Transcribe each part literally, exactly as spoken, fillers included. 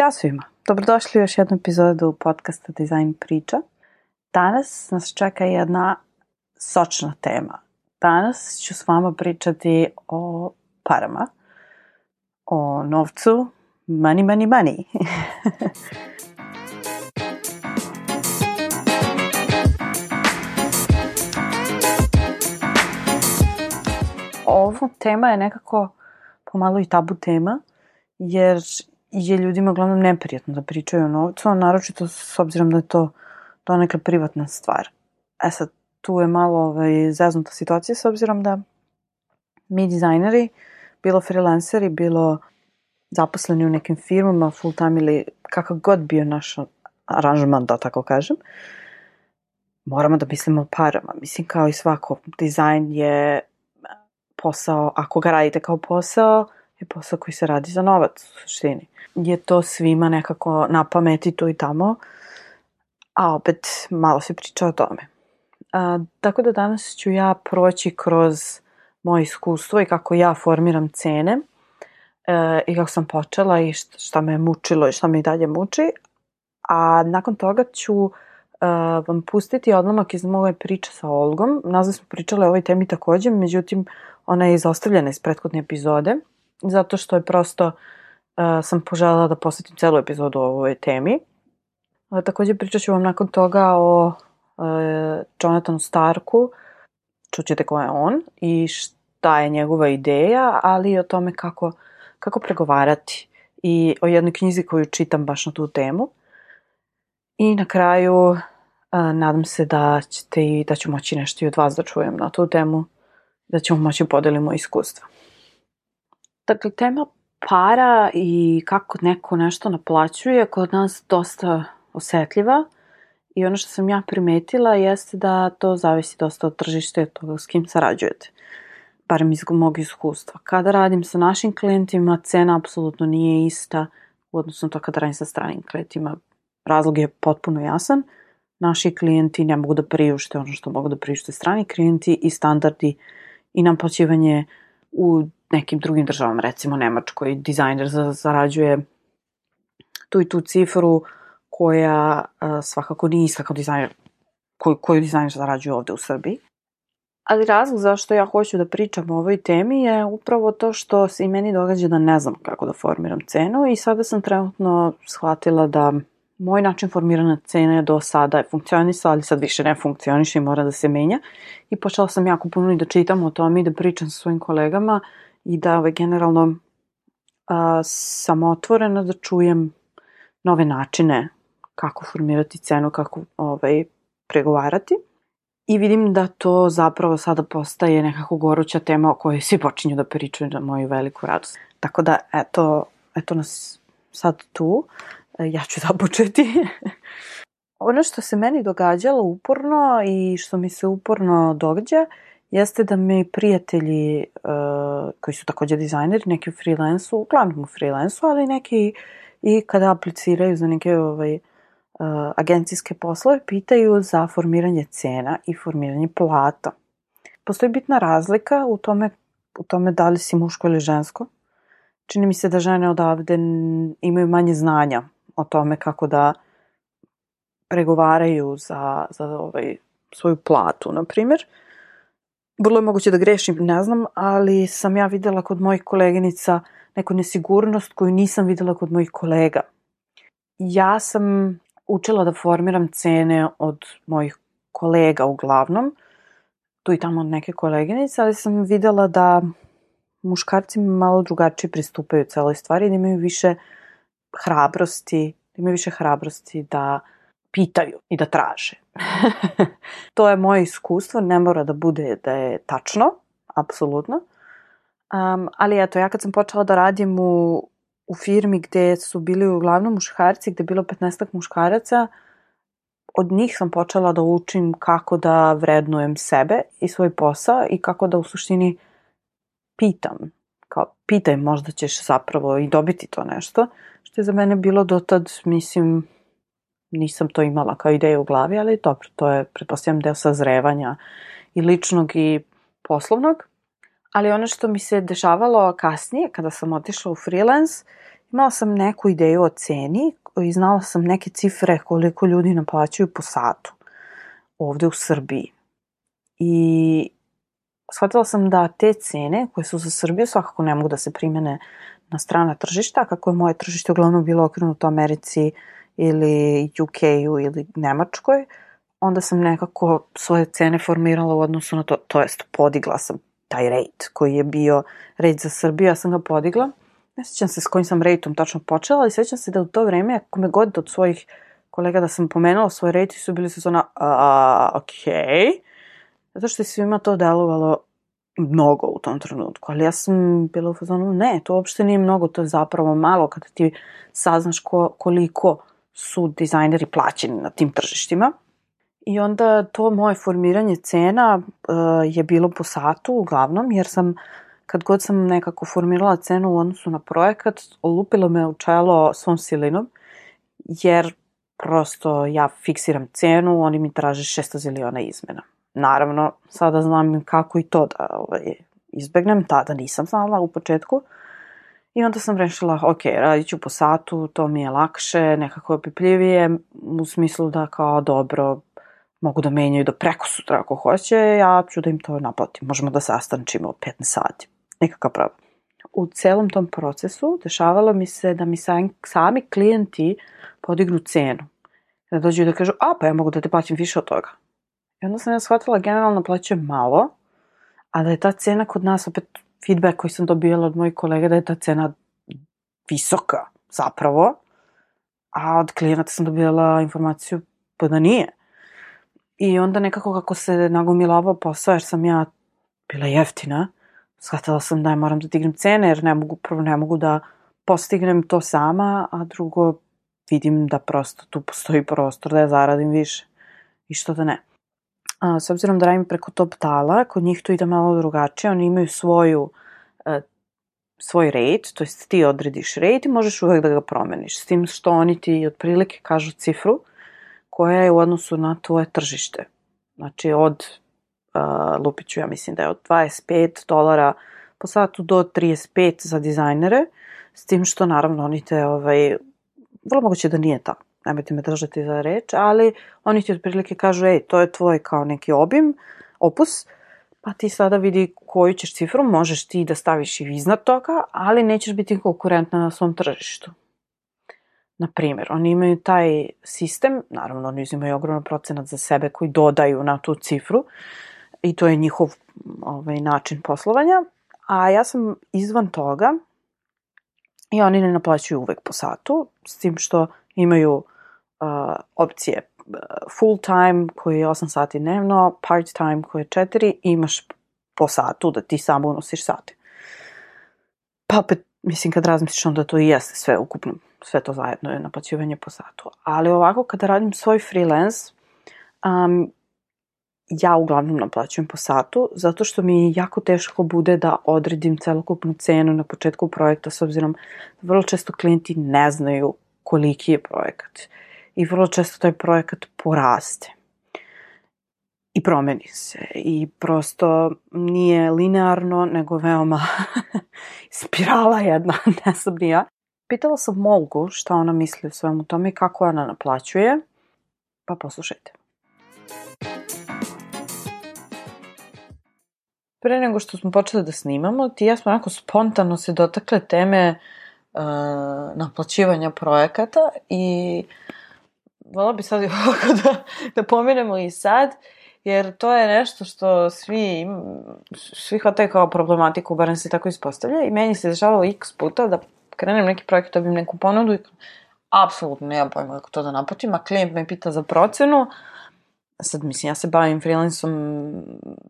Ćao svima, dobrodošli u još jednu epizodu podcasta Dizajn priča. Danas nas čeka jedna sočna tema. Danas ću s vama pričati o parama, o novcu, money, money, money. Ova tema je nekako pomalo i tabu tema, jer je ljudima uglavnom neprijatno da pričaju o novcu, a naročito s obzirom da je to donekle privatna stvar. E sad, tu je malo ovaj, zeznuta situacija s obzirom da mi dizajneri, bilo freelanceri, bilo zaposleni u nekim firmama, full time ili kakav god bio naš aranžman, da tako kažem, moramo da mislimo o parama. Mislim, kao i svako, dizajn je posao, ako ga radite kao posao, je posao koji se radi za novac u suštini. Je to svima nekako na pameti tu i tamo, a opet malo se priča o tome. A, tako da danas ću ja proći kroz moje iskustvo i kako ja formiram cene e, i kako sam počela i šta, šta me je mučilo i šta me i dalje muči. A nakon toga ću e, vam pustiti odlomak iz moje priče sa Olgom. Nazad smo pričale o ovoj temi također, međutim ona je izostavljena iz prethodne epizode, zato što je prosto uh, sam poželjela da posvetim celu epizodu o ovoj temi. Uh, također pričat ću vam nakon toga o uh, Jonathanu Starku, čućete ko je on i šta je njegova ideja, ali i o tome kako, kako pregovarati i o jednoj knjizi koju čitam baš na tu temu. I na kraju uh, nadam se da ćete i da ću moći nešto i od vas da čujem na tu temu, da ćemo moći podelimo iskustva. Dakle, tema para i kako neko nešto naplaćuje kod nas dosta osetljiva i ono što sam ja primetila jeste da to zavisi dosta od tržišta i od toga s kim sarađujete. Barem iz mog iskustva. Kada radim sa našim klijentima, cena apsolutno nije ista u odnosu na to kada radim sa stranim klijentima. Razlog je potpuno jasan. Naši klijenti ne mogu da priušte ono što mogu da priušte strani klijenti i standardi i naplaćivanje u nekim drugim državama, recimo Nemačkoj, dizajner zarađuje tu i tu cifru koja uh, svakako nije ista kao dizajner, koju, koju dizajner zarađuje ovde u Srbiji. Ali razlog zašto ja hoću da pričam o ovoj temi je upravo to što se i meni događa da ne znam kako da formiram cenu i sada sam trenutno shvatila da moj način formiranja cene do sada je funkcionisao, ali sad više ne funkcioniše i mora da se menja. I počela sam jako puno i da čitam o tome i da pričam sa svojim kolegama i da ovaj, generalno a, sam otvorena da čujem nove načine kako formirati cenu, kako ovaj, pregovarati. I vidim da to zapravo sada postaje nekako goruća tema o kojoj svi počinju da pričaju na moju veliku radost. Tako da, eto, eto nas sad tu. Ja ću započeti. Ono što se meni događalo uporno i što mi se uporno događa jeste da mi prijatelji uh, koji su također dizajneri, neki u freelansu, uglavnom u freelansu, ali neki i kada apliciraju za neke ovaj, uh, agencijske poslove, pitaju za formiranje cena i formiranje plata. Postoji bitna razlika u tome, u tome da li si muško ili žensko. Čini mi se da žene odavde imaju manje znanja o tome kako da pregovaraju za, za ovaj, svoju platu, na primjer. Vrlo je moguće da grešim, ne znam, ali sam ja vidjela kod mojih koleginica neku nesigurnost koju nisam vidjela kod mojih kolega. Ja sam učila da formiram cene od mojih kolega uglavnom, tu i tamo od neke koleginice, ali sam vidjela da muškarci malo drugačije pristupaju celoj stvari, da imaju više hrabrosti, da imaju više hrabrosti da pitaju i da traže. To je moje iskustvo, ne mora da bude da je tačno, apsolutno. Um, ali eto, ja kad sam počela da radim u, u firmi gde su bili uglavnom muškarci, gde je bilo petnaestak muškaraca, od njih sam počela da učim kako da vrednujem sebe i svoj posao i kako da u suštini pitam. Kao, pitaj, možda ćeš zapravo i dobiti to nešto, što je za mene bilo dotad, mislim, nisam to imala kao ideju u glavi, ali dobro, to je, pretpostavljam, deo sazrevanja i ličnog i poslovnog. Ali ono što mi se dešavalo kasnije, kada sam otišla u freelance, imala sam neku ideju o ceni i znala sam neke cifre koliko ljudi naplaćuju po satu ovde u Srbiji. I shvatila sam da te cene koje su za Srbiju svakako ne mogu da se primene na strana tržišta, kako je moje tržište uglavnom bilo okrenuto Americi ili U K-u ili Nemačkoj, onda sam nekako svoje cene formirala u odnosu na to, to jest podigla sam taj rate koji je bio rate za Srbiju, ja sam ga podigla. Ne sjećam se s kojim sam rateom tačno počela, ali sjećam se da u to vreme, ako me god od svojih kolega da sam pomenula svoj rate, su bili su zona, a, okej. Okay. Zato što je svima to delovalo mnogo u tom trenutku, ali ja sam bila u fazonu, ne, to uopšte nije mnogo, to je zapravo malo kada ti saznaš ko, koliko su dizajneri plaćeni na tim tržištima. I onda to moje formiranje cena uh, je bilo po satu uglavnom, jer sam, kad god sam nekako formirala cenu u odnosu na projekat, olupilo me u čelo svom silinom, jer prosto ja fiksiram cenu, oni mi traže šesto ziliona izmena. Naravno, sada znam kako i to da ovaj, izbegnem, tada nisam znala u početku. I onda sam rešila, ok, radit ću po satu, to mi je lakše, nekako opipljivije, u smislu da kao dobro, mogu da menjaju do preko sutra ako hoće, ja ću da im to naplatim. Možemo da sastančimo petnaest sati, nekakav problem. U celom tom procesu dešavalo mi se da mi sami klijenti podignu cenu. Da dođu da kažu, a pa ja mogu da te plaćam više od toga. I onda sam ja shvatila, generalno plaćujem malo, a da je ta cena kod nas, opet feedback koji sam dobijala od mojih kolega, da je ta cena visoka zapravo, a od klijenata sam dobijala informaciju pa da nije. I onda nekako kako se nagomilavao posao, jer sam ja bila jeftina, shvatila sam da ja moram da dignem cene, jer ne mogu, prvo ne mogu da postignem to sama, a drugo vidim da prosto tu postoji prostor da ja zaradim više. I što da ne. A, s obzirom da radim preko Top Tala, kod njih to ide malo drugačije, oni imaju svoju, e, svoj rate, to jest ti odrediš rate i možeš uvek da ga promeniš, s tim što oni ti otprilike kažu cifru koja je u odnosu na tvoje tržište. Znači od, uh, lupiću ja mislim da je od dvadeset pet dolara po satu do trideset pet za dizajnere, s tim što naravno oni te, ovaj, vrlo moguće da nije tako, nemojte me držati za reč, ali oni ti otprilike kažu, ej, to je tvoj kao neki obim, opus, pa ti sada vidi koju ćeš cifru, možeš ti da staviš i iznad toga, ali nećeš biti konkurentna na svom tržištu. Naprimjer, oni imaju taj sistem, naravno oni uzimaju ogroman procenat za sebe koji dodaju na tu cifru i to je njihov ovaj, način poslovanja, a ja sam izvan toga i oni ne naplaćuju uvek po satu, s tim što imaju uh, opcije full time koji je osam sati dnevno, part time koji je četiri i imaš po satu da ti samo unosiš sati. Pa opet, mislim, kad razmisliš onda to i jeste sve ukupno, sve to zajedno je naplaćivanje po satu. Ali ovako, kada radim svoj freelance, um, ja uglavnom naplaćujem po satu, zato što mi jako teško bude da odredim celokupnu cenu na početku projekta, s obzirom da vrlo često klijenti ne znaju koliki je projekat. I vrlo često taj projekat poraste. I promeni se. I prosto nije linearno, nego veoma spirala jedna, ne sam ni ja. Pitala sam Molgu šta ona misli o svemu tome i kako ona naplaćuje, pa poslušajte. Pre nego što smo počeli da snimamo, ti i ja smo onako spontano se dotakle teme uh, naplaćivanja projekata i vola bi sad ovako da, da pomenemo i sad, jer to je nešto što svi, svi hvataju kao problematiku, barem se tako ispostavlja i meni se dešavalo x puta da krenem neki projekt, dobijem neku ponudu i apsolutno nemam pojma kako to da naplatim, a klijent me pita za procenu. Sad, mislim, ja se bavim freelanceom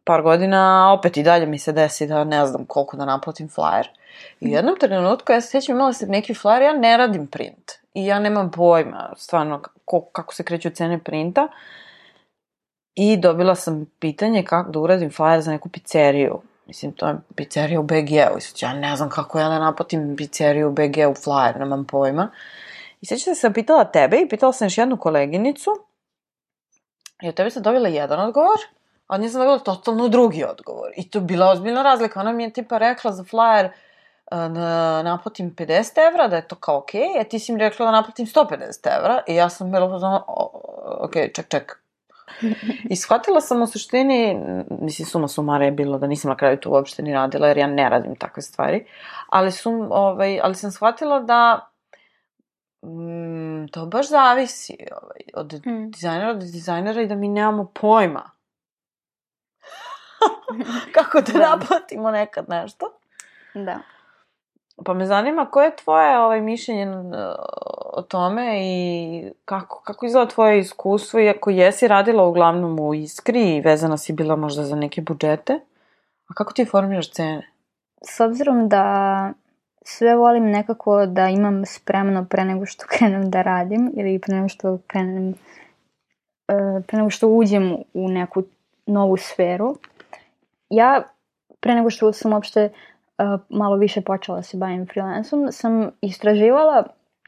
par godina, a opet i dalje mi se desi da ne znam koliko da naplatim flyer. I u jednom trenutku, ja se sjećam, imala sam neki flyer, ja ne radim print. I ja nemam pojma, stvarno, kako, kako se kreću cene printa. I dobila sam pitanje kako da uradim flyer za neku pizzeriju. Mislim, to je pizzerija u B G-u. I sad, ja ne znam kako ja da naplatim pizzeriju u B G-u flyer, nemam pojma. I sjećam se sam pitala tebe i pitala sam još jednu koleginicu. I od tebe sam dobila jedan odgovor, a od nje sam dobila totalno drugi odgovor. I to je bila ozbiljna razlika. Ona mi je tipa rekla za flyer, na, naplatim pedeset evra, da je to kao okej, okay, a ti si mi rekla da naplatim sto pedeset evra i ja sam bila pozvana, okej, okay, ček, ček. I shvatila sam u suštini, mislim, suma sumara je bilo da nisam na kraju to uopšte ni radila, jer ja ne radim takve stvari, ali, sum, ovaj, ali sam shvatila da mm, to baš zavisi ovaj, od mm. dizajnera do dizajnera i da mi nemamo pojma kako da, da naplatimo nekad nešto. Da. Pa me zanima koje je tvoje ovaj, mišljenje o tome i kako, kako izgleda tvoje iskustvo, iako jesi radila uglavnom u Iskri i vezana si bila možda za neke budžete, a kako ti formiraš cene? S obzirom da sve volim nekako da imam spremno pre nego što krenem da radim ili pre nego što krenem, pre nego što uđem u neku novu sferu, ja pre nego što sam uopšte Uh, malo više počela da se bavim freelansom, sam istraživala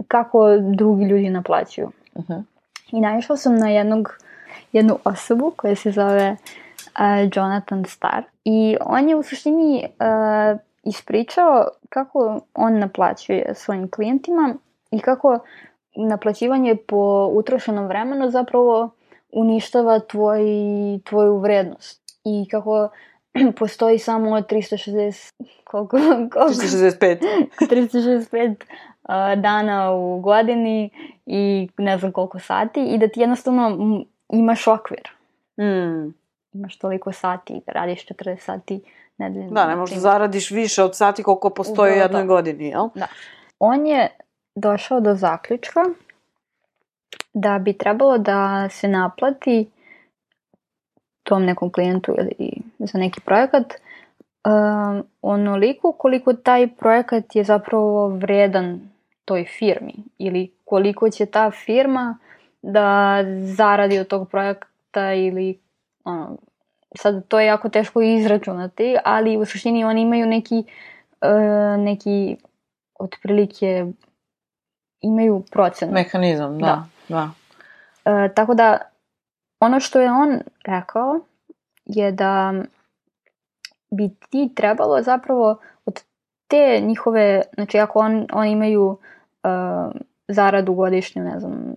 kako drugi ljudi naplaćuju. Uh-huh. I naišla sam na jednog, jednu osobu koja se zove uh, Jonathan Starr. I on je u suštini uh, ispričao kako on naplaćuje svojim klijentima i kako naplaćivanje po utrošenom vremenu zapravo uništava tvoj, tvoju vrednost. I kako postoji samo tristo šezdeset koliko, koliko? tristo šezdeset pet tristo šezdeset pet uh, dana u godini i ne znam koliko sati i da ti jednostavno imaš okvir. Mm. Imaš toliko sati, radiš četrdeset sati nedeljno. Da, ne možda zaradiš više od sati koliko postoji u jednoj godini, jel? Da. On je došao do zaključka da bi trebalo da se naplati tom nekom klijentu ili za neki projekat um, onoliko koliko taj projekat je zapravo vredan toj firmi ili koliko će ta firma da zaradi od tog projekta ili ono, sad to je jako teško izračunati, ali u suštini oni imaju neki uh, neki otprilike imaju procenu. Mehanizam, da. da. da. Uh, tako da ono što je on rekao je da bi ti trebalo zapravo od te njihove, znači ako on, oni imaju uh, zaradu godišnju, ne znam,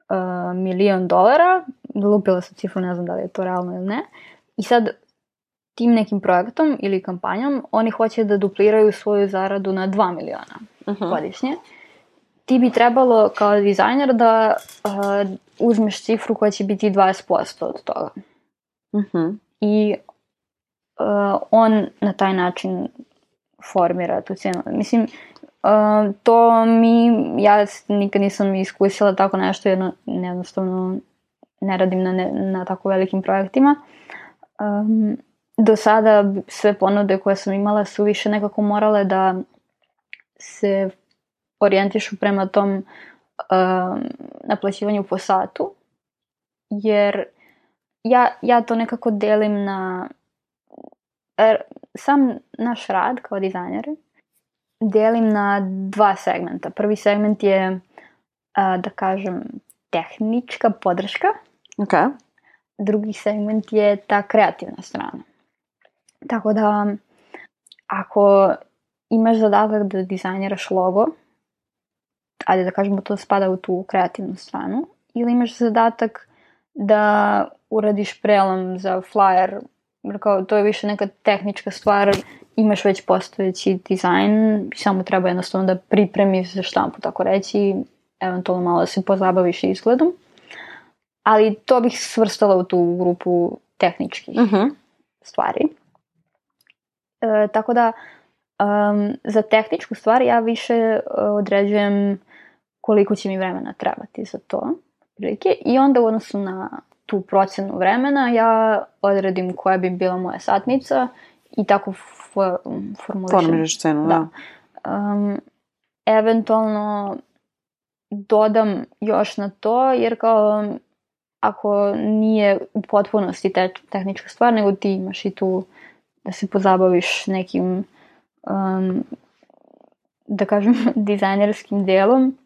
uh, milion dolara, lupila sam cifru, ne znam da li je to realno ili ne, i sad tim nekim projektom ili kampanjom oni hoće da dupliraju svoju zaradu na dva miliona uh-huh. godišnje. Ti bi trebalo kao dizajner da uh, uzmeš cifru koja će biti dvadeset posto od toga. Uh-huh. I uh, on na taj način formira tu cijenu. Mislim, uh, to mi, ja nikad nisam iskusila tako nešto, jedno, jednostavno ne radim na, ne, na tako velikim projektima. Um, do sada sve ponude koje sam imala su više nekako morale da se orijentišu prema tom um, naplaćivanju po satu, jer ja, ja to nekako delim na er, sam naš rad kao dizajner delim na dva segmenta. Prvi segment je uh, da kažem tehnička podrška. Okay. Drugi segment je ta kreativna strana. Tako da ako imaš zadatak da dizajniraš logo, ajde da kažemo to spada u tu kreativnu stranu, ili imaš zadatak da uradiš prelom za flyer, kao to je više neka tehnička stvar, imaš već postojeći dizajn, samo treba jednostavno da pripremiš za štampu, tako reći, eventualno malo da se pozabaviš izgledom, ali to bih svrstala u tu grupu tehničkih uh-huh. stvari. E, tako da um, za tehničku stvar ja više određujem koliko će mi vremena trebati za to. Prilike. I onda u odnosu na tu procenu vremena ja odredim koja bi bila moja satnica i tako for, formulišem. Formiraš cenu, da. da. Um, eventualno dodam još na to, jer kao ako nije u potpunosti te, tehnička stvar, nego ti imaš i tu da se pozabaviš nekim um, da kažem dizajnerskim delom,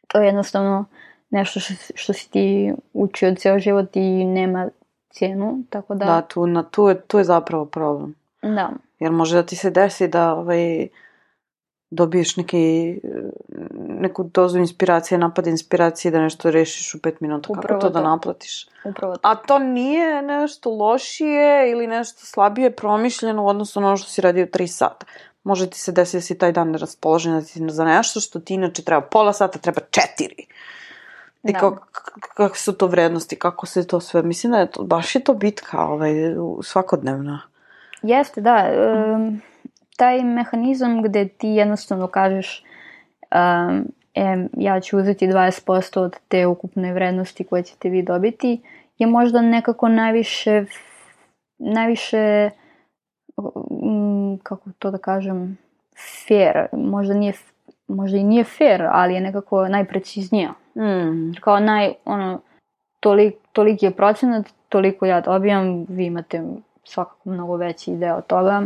to je jednostavno nešto što, što si ti učio ceo život i nema cijenu, tako da... Da, tu, na, tu, je, tu je zapravo problem. Da. Jer može da ti se desi da ovaj, dobiješ neki, neku dozu inspiracije, napad inspiracije da nešto rešiš u pet minuta. Upravo kako to, to da naplatiš? Upravo to. A to nije nešto lošije ili nešto slabije promišljeno u odnosu na ono što si radio tri sata. Može ti se desiti da si taj dan neraspoložen da ti za nešto što ti inače treba pola sata, treba četiri. I da. kako, kako su to vrednosti, kako se to sve... Mislim da je to, baš je to bitka ovaj, svakodnevna. Jeste, da. Um, taj mehanizam gde ti jednostavno kažeš um, e, ja ću uzeti dvadeset posto od te ukupne vrednosti koje ćete vi dobiti, je možda nekako najviše najviše um, kako to da kažem fair. Možda nije možda i nije fair, ali je nekako najpreciznija. Mm. Kao naj, ono, tolik, toliki je procenat, toliko ja dobijam, vi imate svakako mnogo veći deo toga.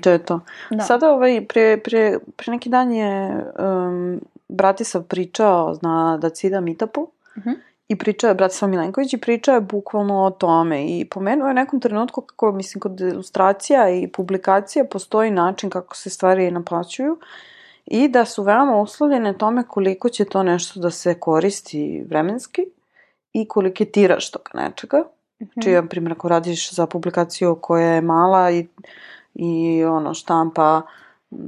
To je to. Da. Sada ovaj, pre, pre, pre neki dan je um, Bratislav pričao na Dacida meetupu uh-huh. i pričao je Bratislav Milenković i pričao je bukvalno o tome i pomenuo je u nekom trenutku kako, mislim, kod ilustracija i publikacija postoji način kako se stvari naplaćuju i da su veoma uslovljene tome koliko će to nešto da se koristi vremenski i koliko je tiraž toga nečega. Uh-huh. Čiji, na primjer, ako radiš za publikaciju koja je mala i, i ono, štampa,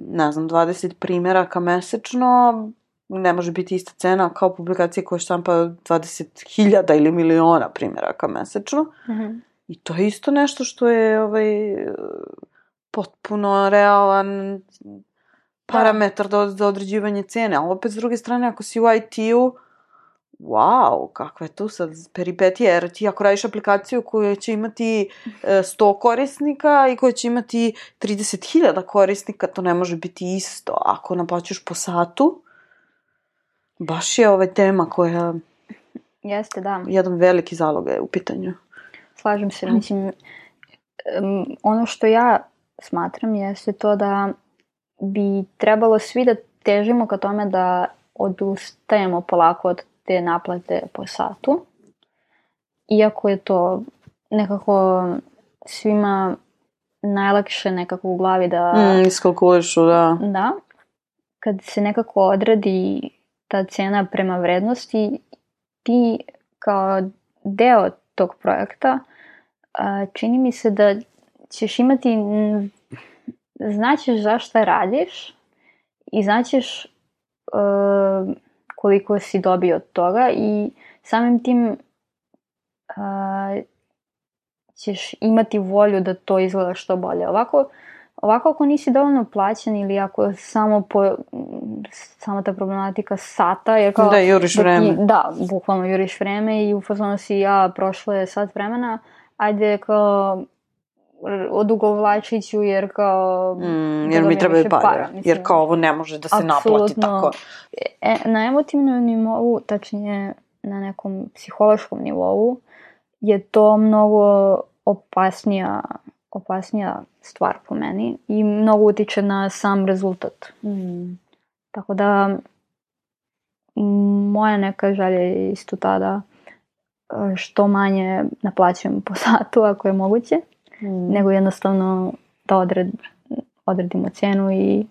ne znam, dvadeset primjeraka mesečno, ne može biti ista cena kao publikacija koja štampa dvadeset hiljada ili miliona primjeraka mesečno. Uh-huh. I to je isto nešto što je ovaj, potpuno realan parametar da. za određivanje cene. Ali opet, s druge strane, ako si u I T-u, wow, kakva je tu sad peripetija, jer ti ako radiš aplikaciju koja će imati sto korisnika i koja će imati trideset hiljada korisnika, to ne može biti isto. Ako naplaćuješ po satu, baš je ova tema koja... Jeste, da. Jedan veliki zalog je u pitanju. Slažem se, mislim, um, ono što ja smatram jeste to da bi trebalo svi da težimo ka tome da odustajemo polako od te naplate po satu. Iako je to nekako svima najlakše nekako u glavi da... Mm, iskalkulišu, da. Da. Kad se nekako odredi ta cena prema vrednosti, ti kao deo tog projekta čini mi se da ćeš imati... Znaćeš zašto radiš i znaćeš uh, koliko si dobio od toga i samim tim uh, ćeš imati volju da to izgleda što bolje. Ovako, ovako ako nisi dovoljno plaćen ili ako samo po, samo ta problematika sata, jer kao... Da, juriš vreme. Da, da, bukvalno juriš vreme i u fazonu si ja prošlo je sat vremena, ajde kao... odugovlačiću jer kao mm, jer mi treba para, para jer kao ovo ne može da se naplati tako. E, na emotivnom nivou, tačnije na nekom psihološkom nivou je to mnogo opasnija opasnija stvar po meni i mnogo utiče na sam rezultat. Mm. Tako da moja neka želja je isto ta da što manje naplaćujem po satu ako je moguće. Mm. Nego jednostavno da odred, odredimo cenu i,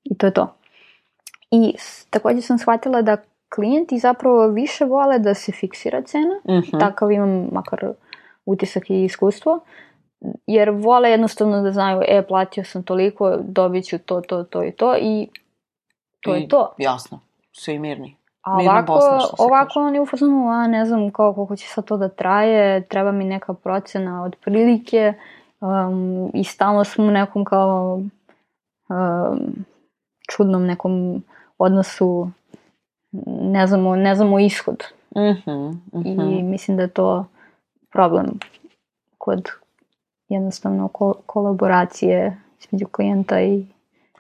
i to je to. I također sam shvatila da klijenti zapravo više vole da se fiksira cena, mm-hmm. takav imam makar utisak i iskustvo, jer vole jednostavno da znaju, e, platio sam toliko, dobit ću to, to, to i to i to I, je to. Jasno, svi mirni. A ovako, ovako oni u fazonu, a ne znam kao, koliko će sad to da traje, treba mi neka procena od prilike um, i stalno smo u nekom kao um, čudnom nekom odnosu, ne znamo, ne znamo ishod. Uh-huh, uh-huh. I mislim da je to problem kod jednostavno ko- kolaboracije između klijenta i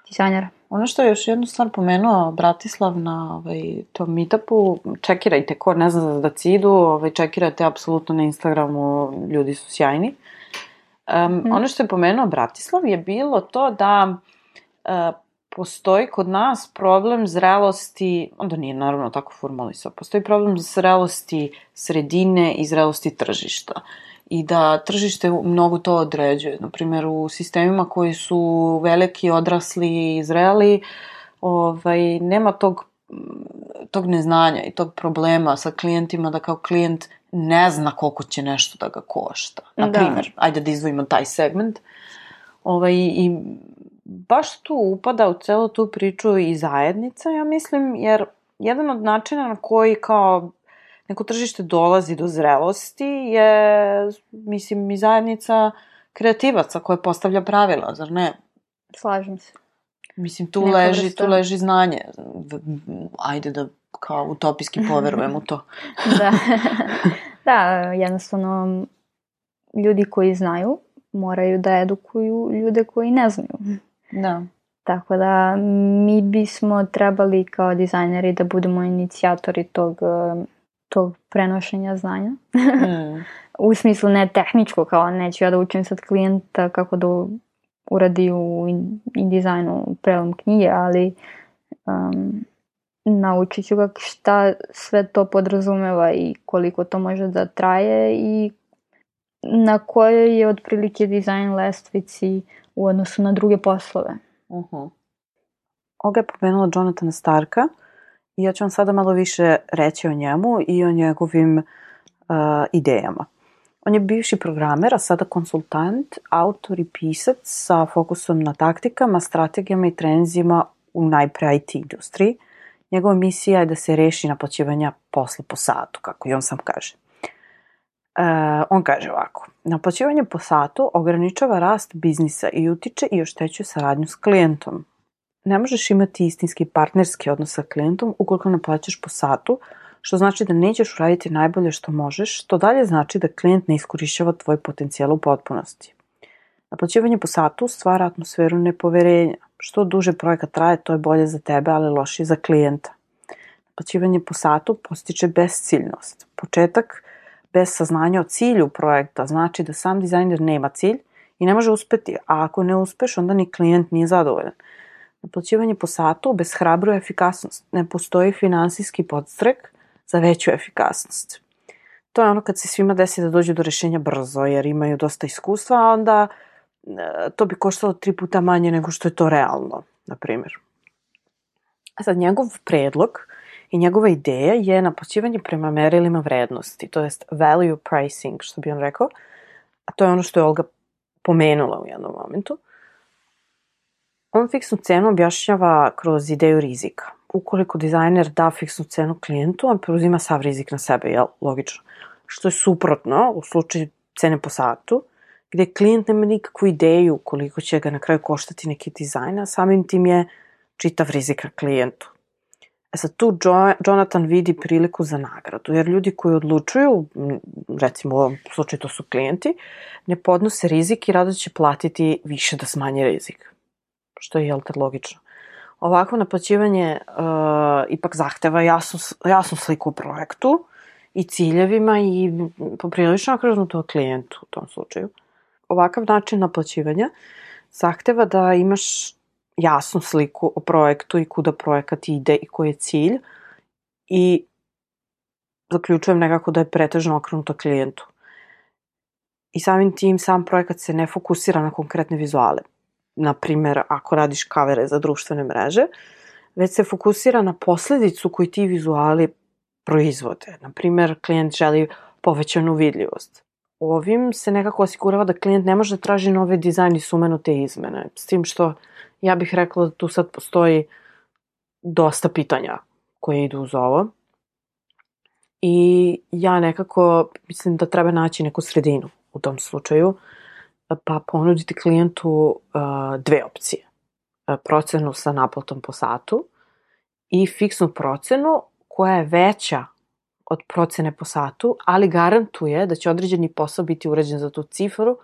dizajnera. Ono što je još jednu stvar pomenuo Bratislav na ovaj, tom meetupu, čekirajte, ko ne zna za Dacidu, ovaj, čekirajte apsolutno na Instagramu, ljudi su sjajni. Um, mm. Ono što je pomenuo Bratislav je bilo to da uh, postoji kod nas problem zrelosti, onda nije naravno tako formulisao, postoji problem zrelosti sredine i zrelosti tržišta. I da tržište mnogo to određuje. Naprimjer, u sistemima koji su veliki, odrasli i zreli, ovaj, nema tog, tog neznanja i tog problema sa klijentima da kao klijent ne zna koliko će nešto da ga košta. Na primjer, da. Ajde da izdvojimo taj segment. Ovaj, i baš tu upada u celu tu priču i zajednica, ja mislim, jer jedan od načina na koji kao neko tržište dolazi do zrelosti je, mislim, i zajednica kreativaca koja postavlja pravila, zar ne? Slažem se. Mislim, tu leži, tu leži znanje. Ajde da kao utopijski poverujem u to. Da. Da, jednostavno ljudi koji znaju moraju da edukuju ljude koji ne znaju. Da. Tako da mi bismo trebali kao dizajneri da budemo inicijatori tog, tog prenošenja znanja. Mm. U smislu ne tehničko, kao neću ja da učim sad klijenta kako da uradi u InDesignu prelom knjige, ali um, naučit ću ga šta sve to podrazumeva i koliko to može da traje i na kojoj je otprilike dizajn lestvici u odnosu na druge poslove. Uh-huh. Olga je pomenula Jonathana Starka i ja ću vam sada malo više reći o njemu i o njegovim uh, idejama. On je bivši programer, a sada konsultant, autor i pisac sa fokusom na taktikama, strategijama i trenzima u najpre I T industriji. Njegova misija je da se reši naplaćivanja posla po satu, kako i on sam kaže. Uh, on kaže ovako: naplaćivanje po satu ograničava rast biznisa i utiče i oštećuje saradnju s klijentom. Ne možeš imati istinski partnerski odnos sa klijentom ukoliko naplaćaš po satu, što znači da nećeš uraditi najbolje što možeš, što dalje znači da klijent ne iskorišćava tvoj potencijal u potpunosti. Naplaćivanje po satu stvara atmosferu nepoverenja. Što duže projekat traje, to je bolje za tebe, ali lošije za klijenta. Naplaćivanje po satu postiče besciljnost. Početak bez saznanja o cilju projekta znači da sam dizajner nema cilj i ne može uspeti, a ako ne uspeš, onda ni klijent nije zadovoljan. Naplaćivanje po satu obeshrabruje efikasnost. Ne postoji finansijski podstrek za veću efikasnost. To je ono kad se svima desi da dođu do rešenja brzo, jer imaju dosta iskustva, a onda to bi koštalo tri puta manje nego što je to realno, na primjer. A sad, njegov predlog i njegova ideja je naplaćivanje prema merilima vrednosti, to jest value pricing, što bi on rekao, a to je ono što je Olga pomenula u jednom momentu. On fiksnu cenu objašnjava kroz ideju rizika. Ukoliko dizajner da fiksnu cenu klijentu, on preuzima sav rizik na sebe, jel? Logično. Što je suprotno u slučaju cene po satu, gde klijent nema nikakvu ideju koliko će ga na kraju koštati neki dizajn, a samim tim je čitav rizik na klijentu. E sad tu jo- Jonathan vidi priliku za nagradu, jer ljudi koji odlučuju, recimo u ovom slučaju to su klijenti, ne podnose rizik i rado će platiti više da smanje rizik. Što je, jel te, logično. Ovako naplaćivanje uh, ipak zahteva jasnu, jasnu sliku o projektu i ciljevima i poprilično okrenuto klijentu u tom slučaju. Ovakav način naplaćivanja zahteva da imaš jasnu sliku o projektu i kuda projekat ide i koji je cilj i zaključujem nekako da je pretežno okrenuto klijentu. I samim tim sam projekat se ne fokusira na konkretne vizuale. Na primjer, ako radiš kavere za društvene mreže, već se fokusira na posledicu koju ti vizuali proizvode. Na primjer, klijent želi povećanu vidljivost. Ovim se nekako osigurava da klijent ne može da traži nove dizajn i sumenute izmene. S tim što ja bih rekla da tu sad postoji dosta pitanja koje idu uz ovo. I ja nekako mislim da treba naći neku sredinu u tom slučaju, pa ponuditi klijentu uh, dve opcije. Uh, procenu sa naplatom po satu i fiksnu procenu koja je veća od procene po satu, ali garantuje da će određeni posao biti urađen za tu cifru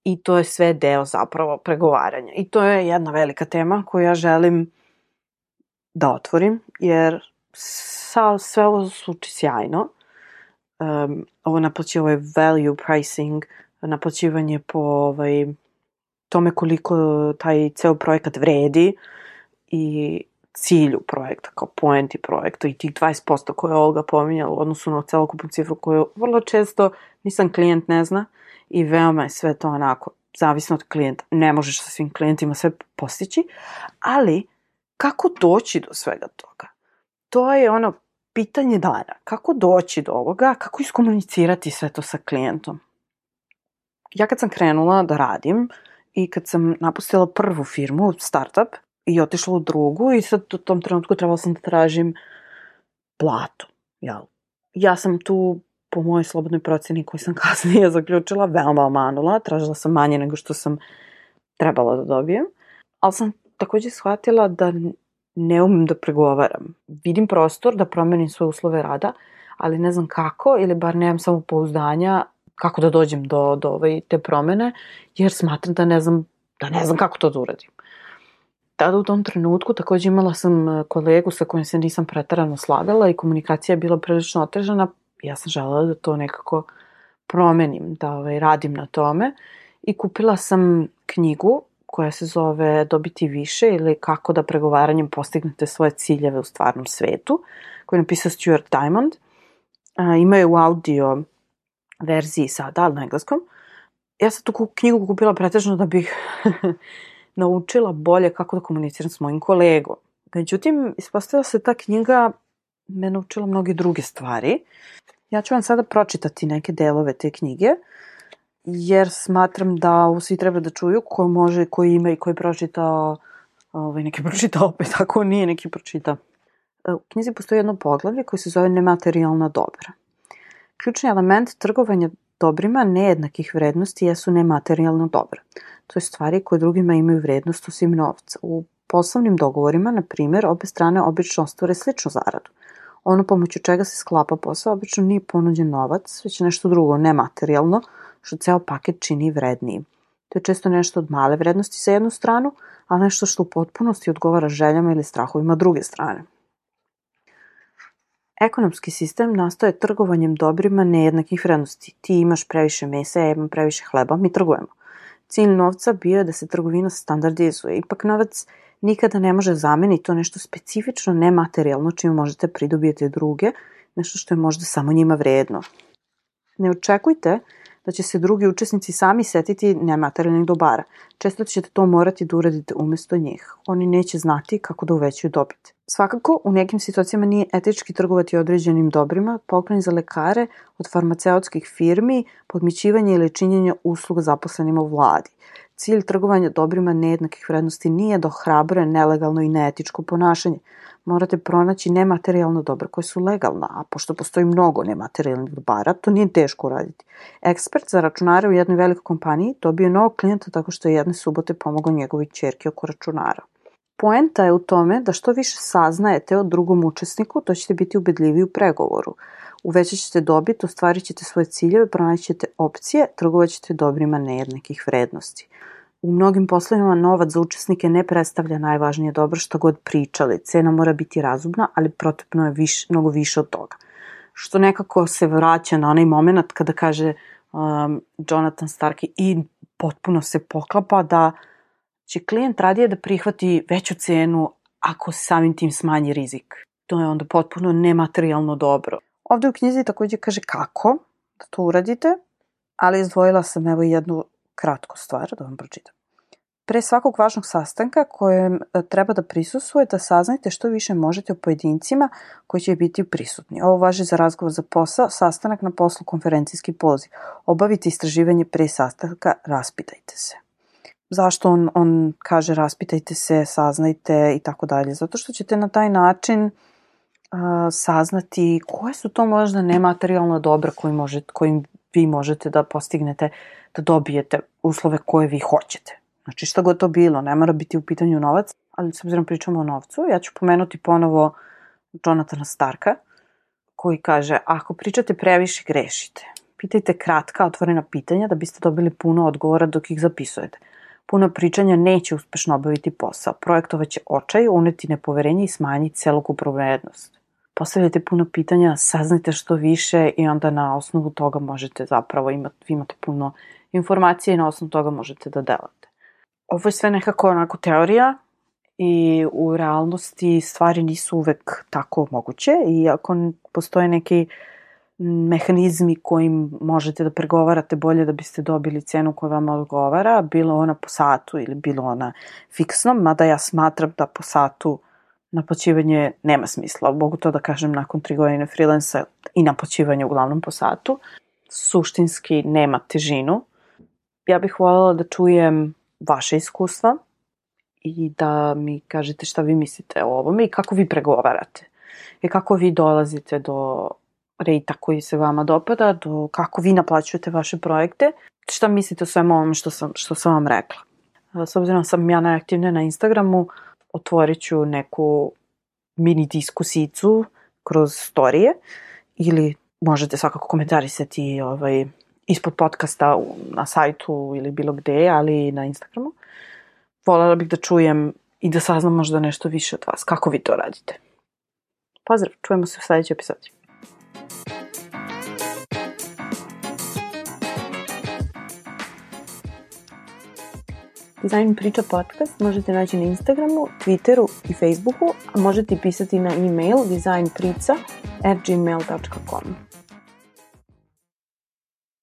i to je sve deo zapravo pregovaranja. I to je jedna velika tema koju ja želim da otvorim, jer sa, sve ovo zvuči sjajno. Um, ovo naplaćuje ovaj value pricing, naplaćivanje po ovaj, tome koliko taj ceo projekat vredi i cilju projekta, kao poenti projekta i tih dvadeset posto koje je Olga pominjala u odnosu na celokupnu cifru koju vrlo često nisam klijent ne zna i veoma je sve to onako zavisno od klijenta. Ne možeš sa svim klijentima sve postići, ali kako doći do svega toga? To je ono pitanje dana. Kako doći do ovoga? Kako iskomunicirati sve to sa klijentom? Ja kad sam krenula da radim i kad sam napustila prvu firmu, startup, i otišla u drugu i sad u tom trenutku trebala sam da tražim platu. Jel? Ja sam tu, po mojoj slobodnoj proceni koju sam kasnije zaključila, veoma omanula. Tražila sam manje nego što sam trebala da dobijem. Ali sam također shvatila da ne umem da pregovaram. Vidim prostor da promenim svoje uslove rada, ali ne znam kako, ili bar nemam samopouzdanja kako da dođem do, do ovaj, te promene, jer smatram da ne znam, da ne znam kako to da uradim. Tada u tom trenutku također imala sam kolegu sa kojim se nisam pretarano slagala i komunikacija je bila prilično otežana. Ja sam želela da to nekako promenim, da ovaj, radim na tome i kupila sam knjigu koja se zove Dobiti više ili kako da pregovaranjem postignete svoje ciljeve u stvarnom svetu, koju je napisao Stuart Diamond. A, ima je u audio verziji sada, ali na engleskom. Ja sam tu knjigu kupila pretežno da bih naučila bolje kako da komuniciram s mojim kolegom. Međutim, ispostavila se ta knjiga me naučila mnoge druge stvari. Ja ću vam sada pročitati neke delove te knjige, jer smatram da ovo svi treba da čuju, ko može, ko ima i ko je pročitao, ovaj, neki pročitao opet, ako nije neki pročitao. U knjizi postoji jedno poglavlje koje se zove nematerijalna dobra. Ključni element trgovanja dobrima nejednakih vrednosti jesu nematerijalna dobra. To je stvari koje drugima imaju vrednost osim novca. U poslovnim dogovorima, na primjer, obe strane obično ostvare sličnu zaradu. Ono pomoću čega se sklapa posao obično nije ponuđen novac, već nešto drugo, nematerijalno, što ceo paket čini vrednijim. To je često nešto od male vrednosti sa jednu stranu, a nešto što u potpunosti odgovara željama ili strahovima druge strane. Ekonomski sistem nastaje trgovanjem dobrima nejednakih vrednosti. Ti imaš previše mesa, ja imam previše hleba, mi trgujemo. Cilj novca bio je da se trgovina standardizuje. Ipak novac nikada ne može zameniti to nešto specifično nematerijalno čime možete pridobijeti druge, nešto što je možda samo njima vredno. Ne očekujte da će se drugi učesnici sami setiti nematerijalnih dobara. Često ćete to morati da uradite umjesto njih. Oni neće znati kako da uvećaju dobit. Svakako, u nekim situacijama nije etički trgovati određenim dobrima, poklon za lekare, od farmaceutskih firmi, podmićivanje ili činjenje usluga zaposlenima u vladi. Cilj trgovanja dobrima nejednakih vrednosti nije da ohrabruje nelegalno i neetičko ponašanje. Morate pronaći nematerijalna dobra koja su legalna, a pošto postoji mnogo nematerijalnih dobara, to nije teško uraditi. Ekspert za računare u jednoj velikoj kompaniji dobio je novog klijenta tako što je jedne subote pomogao njegovoj ćerki oko računara. Poenta je u tome da što više saznajete o drugom učesniku, to ćete biti ubedljiviji u pregovoru. Uvećat ćete dobit, ostvarit ćete svoje ciljeve, pronaći ćete opcije, trgovat ćete dobrima nejednakih vrednosti. U mnogim poslovima novac za učesnike ne predstavlja najvažnije dobro što god pričali. Cena mora biti razumna, ali potrebno je više, mnogo više od toga. Što nekako se vraća na onaj moment kada kaže um, Jonathan Stark i potpuno se poklapa da će klijent radije da prihvati veću cenu ako samim tim smanji rizik. To je onda potpuno nematerijalno dobro. Ovdje u knjizi također kaže kako da to uradite, ali izdvojila sam evo jednu kratku stvar da vam pročitam. Pre svakog važnog sastanka kojem treba da prisustvujete, saznajte što više možete o pojedincima koji će biti prisutni. Ovo važi za razgovor za posao, sastanak na poslu, konferencijski poziv. Obavite istraživanje pre sastanka, raspitajte se. Zašto on, on kaže raspitajte se, saznajte i tako dalje? Zato što ćete na taj način uh, saznati koje su to možda nematerijalna dobra koji možete, kojim vi možete da postignete, da dobijete uslove koje vi hoćete. Znači šta god to bilo, ne mora biti u pitanju novac, ali s obzirom pričamo o novcu, ja ću pomenuti ponovo Jonathana Starka, koji kaže, ako pričate previše, grešite. Pitajte kratka, otvorena pitanja da biste dobili puno odgovora dok ih zapisujete. Puno pričanja neće uspešno obaviti posao. Projektovat će očaj, uneti nepoverenje i smanjiti celokupnu vrednost. Postavljajte puno pitanja, saznajte što više i onda na osnovu toga možete zapravo imati, vi imate puno informacije i na osnovu toga možete da delate. Ovo je sve nekako onako teorija i u realnosti stvari nisu uvek tako moguće i ako postoje neki mehanizmi kojim možete da pregovarate bolje da biste dobili cenu koja vam odgovara, bilo ona po satu ili bilo ona fiksno, mada ja smatram da po satu naplaćivanje nema smisla. Mogu to da kažem nakon tri godine freelansa i naplaćivanje uglavnom po satu. Suštinski nema težinu. Ja bih voljela da čujem vaše iskustva i da mi kažete šta vi mislite o ovome i kako vi pregovarate. I kako vi dolazite do rejta koji se vama dopada, do kako vi naplaćujete vaše projekte. Šta mislite o svemu ovome što sam, što sam vam rekla. S obzirom sam ja najaktivnija na Instagramu, otvorit ću neku mini diskusijicu kroz storije ili možete svakako komentarisati ovaj, ispod podcasta na sajtu ili bilo gde, ali i na Instagramu. Voljela bih da čujem i da saznam možda nešto više od vas. Kako vi to radite? Pozdrav, čujemo se u sledećoj epizodi. Dizajn priča podcast možete naći na Instagramu, Twitteru i Facebooku, a možete pisati na e-mail dizajnprica at gmail dot com.